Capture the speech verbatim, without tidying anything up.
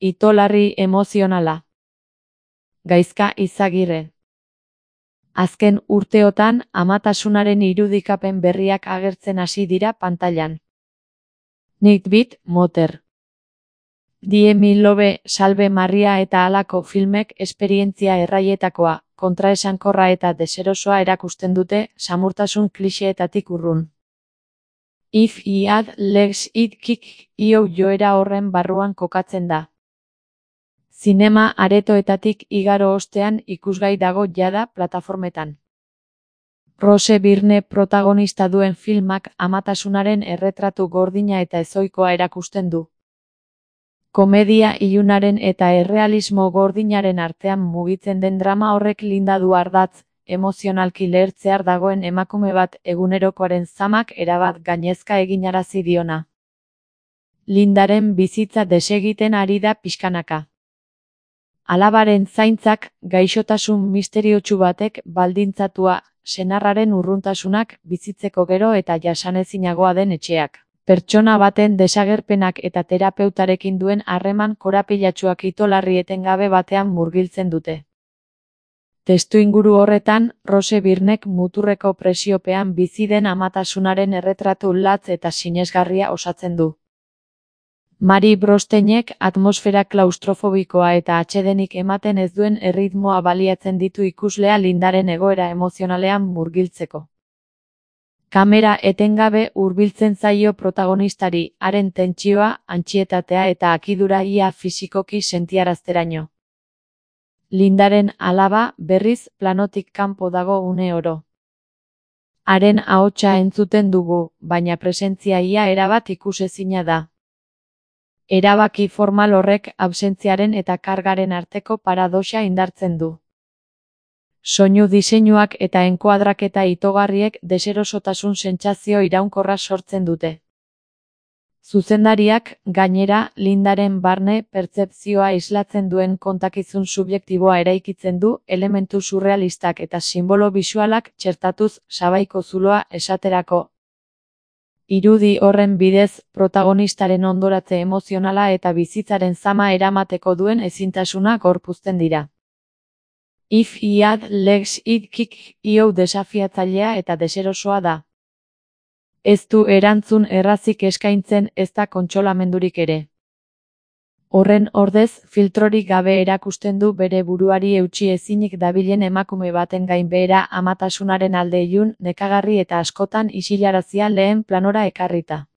itolarri emozionala. Gaizka Izagirre. Azken urteotan amatasunaren irudikapen berriak agertzen hasi dira pantailan. Nightbeat, Moter. Die Milobe, Salve Maria eta halako filmek esperientzia erraietakoa, kontraesankorra eta deserosoa erakusten dute, samurtasun kliseetatik urrun. If I had legs it kick io joera horren barruan kokatzen da. Zinema aretoetatik igaro ostean ikusgai dago jada plataformetan. Rose Byrne protagonista duen filmak amatasunaren erretratu gordina eta ezoikoa erakusten du. Komedia ilunaren eta errealismo gordinaren artean mugitzen den drama horrek Linda du ardatz, emozionalki lehertzear dagoen emakume bat egunerokoaren zamak erabat gainezka eginarazi diona. Lindaren bizitza desegiten ari da pixkanaka. Alabaren zaintzak, gaixotasun misteriotsu batek baldintzatua, senarraren urruntasunak, bizitzeko gero eta jasanezinagoa den etxeak. Pertsona baten desagerpenak eta terapeutarekin duen harreman korapilatsuak itolarri etengabe batean murgiltzen dute. Testuinguru horretan, Rose Byrnek muturreko presiopean bizi den amatasunaren erretratu latz eta sinesgarria osatzen du. Mari Brosteinek atmosfera klaustrofobikoa eta atsedenik ematen ez duen erritmoa baliatzen ditu ikuslea Lindaren egoera emozionalean murgiltzeko. Kamera etengabe hurbiltzen zaio protagonistari, haren tentsioa, antsietatea eta akidura ia fisikoki sentiarazteraino. Lindaren alaba, berriz, planotik kanpo dago une oro. Haren ahotsa entzuten dugu, baina presentzia ia erabat ikusezina da. Erabaki formal horrek absentziaren eta kargaren arteko paradoxa indartzen du. Soinu diseinuak eta enkuadraketa itogarriek deserosotasun sentsazio iraunkorra sortzen dute. Zuzendariak, gainera, Lindaren barne pertzepzioa islatzen duen kontakizun subjektiboa eraikitzen du, elementu surrealistak eta simbolo bisualak txertatuz sabaiko zuloa esaterako. Irudi horren bidez, protagonistaren ondoratze emozionala eta bizitzaren zama eramateko duen ezintasuna gorpuzten dira. If I had legs it kick io desafiatzailea eta deserosoa da. Ez du erantzun errazik eskaintzen ez da kontsolamendurik ere. Horren ordez, filtrorik gabe erakusten du bere buruari eutsi ezinik dabilen emakume baten gainbehera amatasunaren alde ilun, nekagarri eta askotan isilarazia lehen planora ekarrita.